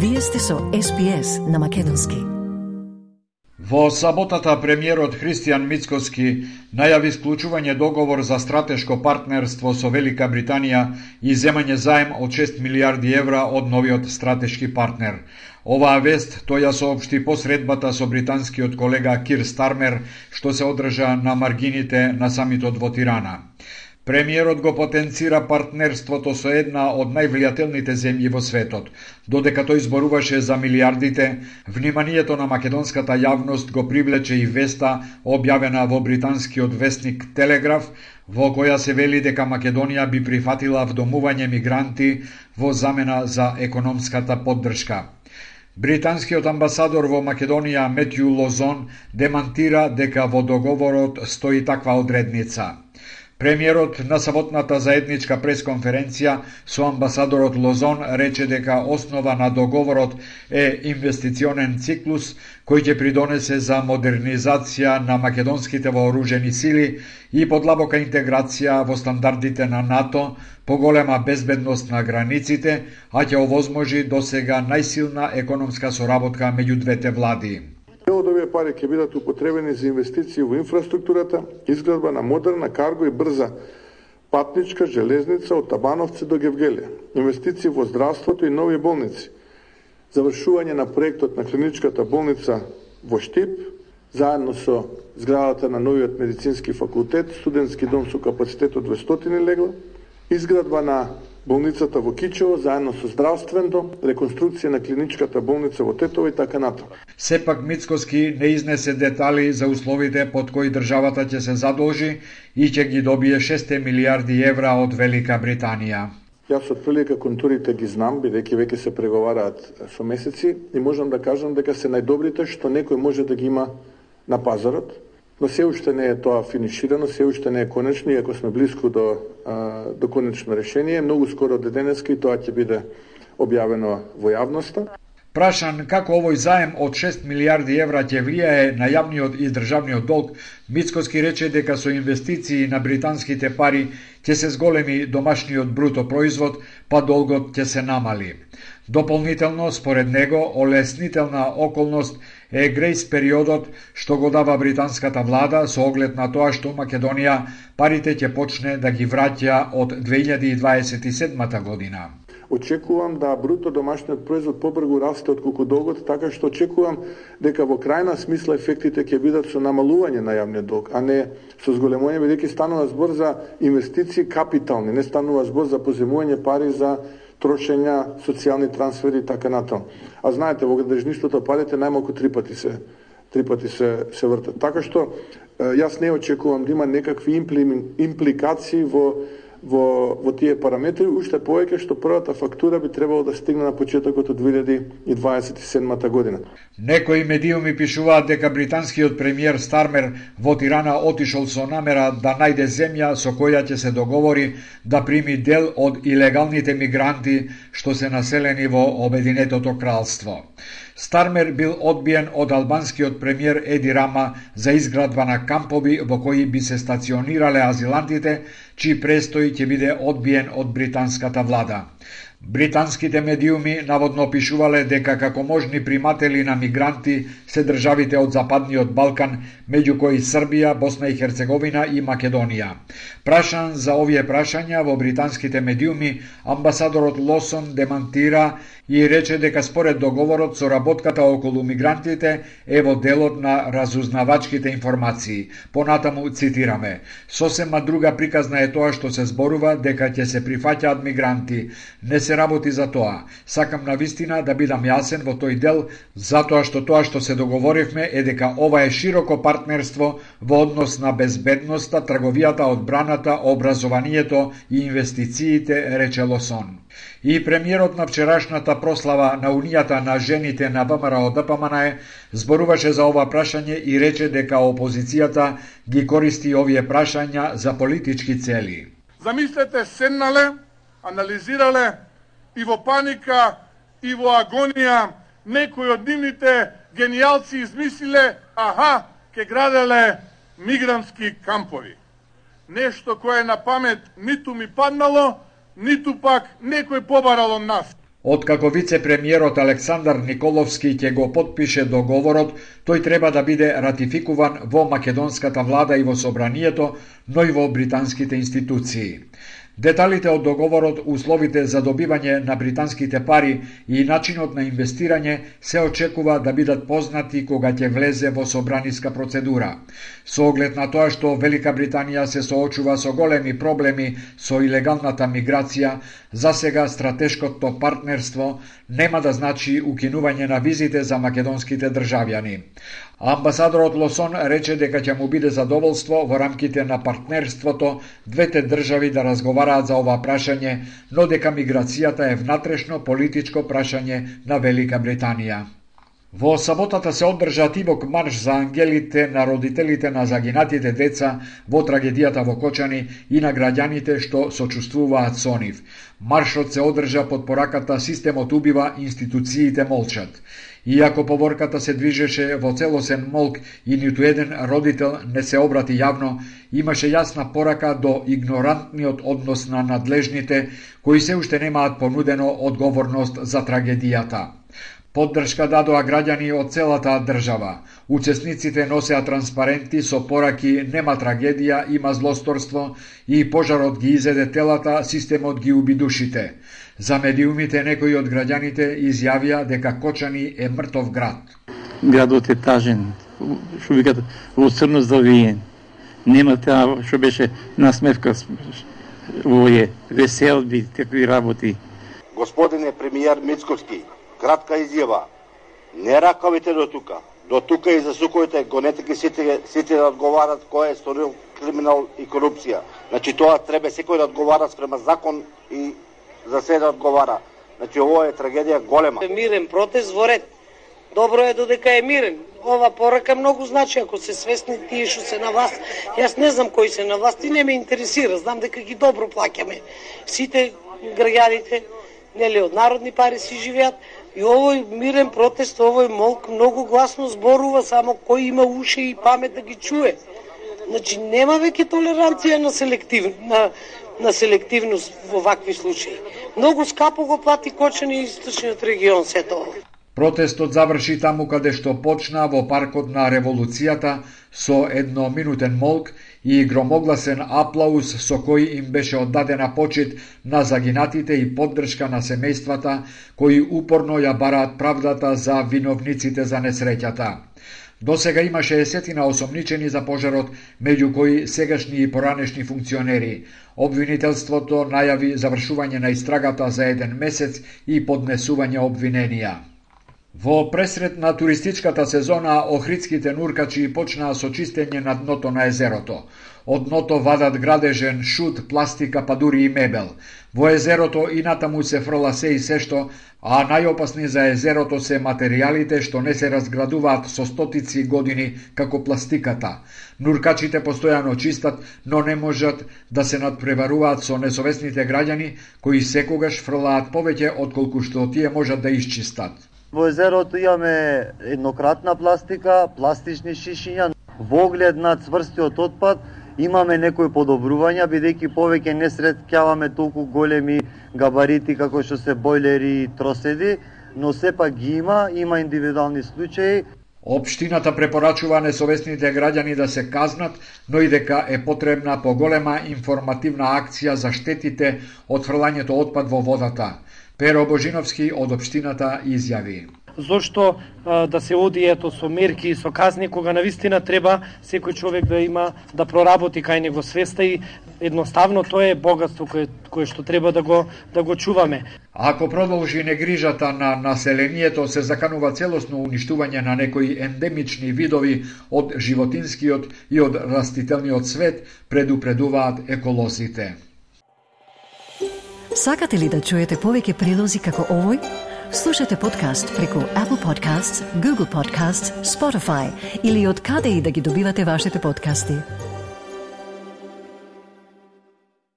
Вие сте со SPS на македонски. Во саботата премиерот Христијан Мицкоски најави склучување договор за стратешко партнерство со Велика Британија и земање заем од 6 милиарди евра од новиот стратешки партнер. Оваа вест тој ја соопшти по средбата со британскиот колега Кир Стармер, што се одржа на маргините на самитот во Тирана. Премиерот го потенцира партнерството со една од највлијателните земји во светот. Додека тој зборуваше за милиардите, вниманието на македонската јавност го привлече и веста објавена во британскиот весник Телеграф, во која се вели дека Македонија би прифатила вдомување мигранти во замена за економската поддршка. Британскиот амбасадор во Македонија Метју Лозон демантира дека во договорот стои таква одредница. Премиерот на саботната заедничка пресконференција со амбасадорот Лозон рече дека основа на договорот е инвестиционен циклус кој ќе придонесе за модернизација на македонските вооружени сили и подлабока интеграција во стандардите на НАТО, поголема безбедност на границите, а ќе овозможи досега најсилна економска соработка меѓу двете влади. Дел од овие пари ќе бидат употребени за инвестиции во инфраструктурата, изградба на модерна, карго и брза патничка железница од Табановци до Гевгелија, инвестиции во здравството и нови болници, завршување на проектот на клиничката болница во Штип, заедно со зградата на новиот медицински факултет, студентски дом со капацитет од 200 легла, изградба на болницата во Кичево, заедно со здравствен дом, реконструкција на клиничката болница во Тетово и така натаму. Сепак Мицкоски не изнесе детали за условите под кои државата ќе се задолжи и ќе ги добие 6 милиарди евра од Велика Британија. Јас од прилика контурите ги знам, бидејќи веќе се преговараат со месеци и можам да кажам дека се најдобрите што некој може да ги има на пазарот. Но се уште не е тоа финиширано, се уште не е конечно, иако сме близко до конечно решение. Многу скоро до денеска и тоа ќе биде објавено во јавноста. Прашан како овој заем од 6 милиарди евра ќе влијае на јавниот и државниот долг, Мицкоски рече дека со инвестиции на британските пари ќе се зголеми домашниот бруто производ, па долгот ќе се намали. Дополнително, според него, олеснителна околност е грејс периодот што го дава британската влада со оглед на тоа што Македонија парите ќе почне да ги враќа од 2027 година. Очекувам да бруто домашниот производ побрзо расте отколку долгот, така што очекувам дека во крајна смисла ефектите ќе бидат со намалување на јавниот долг, а не со зголемување, бидејќи станува збор за инвестиции капитални, не станува збор за поземување пари за трошења, социјални трансфери и така натаму. А знаете, во градежништвото парите најмалку три пати се вртат. Така што јас не очекувам да има некакви импликации во тие параметри, уште повеќе што првата фактура би требало да стигне на почетокот од 2027 година. Некои медиуми пишуваат дека британскиот премиер Стармер во Тирана отишол со намера да најде земја со која ќе се договори да прими дел од илегалните мигранти што се населени во Обединетото кралство. Стармер бил одбиен од албанскиот премиер Еди Рама за изградба на кампови во кои би се стационирале азилантите, чиј престој ќе биде одбиен од британската влада. Британските медиуми наводно пишувале дека како можни приматели на мигранти се државите од Западниот Балкан, меѓу кои Србија, Босна и Херцеговина и Македонија. Прашан за овие прашања во британските медиуми, амбасадорот Лосон демантира и рече дека според договорот соработката околу мигрантите е во делот на разузнавачките информации. Понатаму цитираме: "Сосема друга приказна е тоа што се зборува дека ќе се прифаќаат мигранти. Не се работи за тоа. Сакам навистина да бидам јасен во тој дел, затоа што тоа што се договоривме е дека ова е широко партнерство во однос на безбедноста, трговијата, одбраната, образованието и инвестициите", рече Лосон. И премиерот на вчерашната прослава на Унијата на жените на ВМРО-ДПМН зборуваше за ова прашање и рече дека опозицијата ги користи овие прашања за политички цели. Замислете, седнале, анализирале и во паника и во агонија некои од нивните генијалци измислиле, ке граделе мигрантски кампови. Нешто кое на памет ниту ми паднало, ниту пак некој побарал од нас. Откако вице-премиерот Александар Николовски ќе го потпише договорот, тој треба да биде ратификуван во македонската влада и во собранието, но и во британските институции. Деталите од договорот, условите за добивање на британските пари и начинот на инвестирање се очекува да бидат познати кога ќе влезе во собраниска процедура. Со оглед на тоа што Велика Британија се соочува со големи проблеми со илегалната миграција, засега стратешкото партнерство нема да значи укинување на визите за македонските државјани. Амбасадорот Лосон рече дека ќе му биде задоволство во рамките на партнерството двете држави да разговараат за ова прашање, но дека миграцијата е внатрешно политичко прашање на Велика Британија. Во саботата се одржа тивок марш за ангелите на родителите на загинатите деца во трагедијата во Кочани и на граѓаните што сочувствуваат со нив. Маршот се одржа под пораката "Системот убива, институциите молчат". Иако поворката се движеше во целосен молк и ниту еден родител не се обрати јавно, имаше јасна порака до игнорантниот однос на надлежните, кои се уште немаат понудено одговорност за трагедијата. Поддршка дадоа граѓани од целата држава. Учесниците носеа транспаренти со пораки "Нема трагедија, има злосторство" и "Пожарот ги изеде телата, системот ги уби душите". За медиумите некои од граѓаните изјавија дека Кочани е мртов град. Градот е тажен, што викат во црно завиен. Нема таа што беше насмевка, овој веселби, такви работи. Господине премиер Мицковски, кратка изјава. Не ракавите до тука. До тука и засукувате гонете сите да одговарат кој е сторил криминал и корупција. Значи тоа треба секој да одговара спрема закон и за се да одговара. Значи ово е трагедија голема. Мирен протест во ред. Добро е додека е мирен. Ова порака многу значи ако се свесни тие што се на власт. Јас не знам кои се на власт и не ме интересира. Знам дека ги добро плаќаме. Сите граѓаните, нели од народни пари си живеат. И овој мирен протест, овој молк многу гласно зборува, само кој има уши и памет да ги чуе. Значи нема веќе толеранција на селективност во вакви случаи. Многу скапо го плати Кочани и источниот регион се тоа. Протестот заврши таму каде што почна во паркот на Револуцијата со едноминутен молк и громогласен аплауз со кој им беше оддадена почит на загинатите и поддршка на семејствата кои упорно ја бараат правдата за виновниците за несреќата. До сега имаше десетина осомничени за пожарот, меѓу кои сегашни и поранешни функционери. Обвинителството најави завршување на истрагата за 1 месец и поднесување обвиненија. Во пресред на туристичката сезона, охридските нуркачи почнаа со чистење на дното на езерото. Од дното вадат градежен, шут, пластика, па дури и мебел. Во езерото и натаму се фрла се и сешто, а најопасни за езерото се материјалите што не се разградуваат со стотици години, како пластиката. Нуркачите постојано чистат, но не можат да се надпреваруваат со несовесните граѓани, кои секогаш фрлаат повеќе отколку што тие можат да исчистат. Во езерото имаме еднократна пластика, пластични шишиња. Во оглед на цврстиот отпад имаме некои подобрувања, бидејќи повеќе не среќаваме толку големи габарити како што се бойлери и троседи, но сепак ги има индивидуални случаи. Општината препорачува несовесните граѓани да се казнат, но и дека е потребна поголема информативна акција за штетите од фрлањето отпад во водата. Перо Божиновски од општината изјави: Зошто да се оди со мерки и со казни, кога навистина треба секој човек да има да проработи кај него свеста и едноставно тоа е богатство кое што треба да го чуваме. Ако продолжи негрижата на населението, се заканува целосно уништување на некои ендемични видови од животинскиот и од растителниот свет, предупредуваат еколозите. Сакате ли да чуете повеќе прилози како овој? Слушате подкаст преку Apple Podcasts, Google Podcasts, Spotify или од каде и да ги добивате вашите подкасти.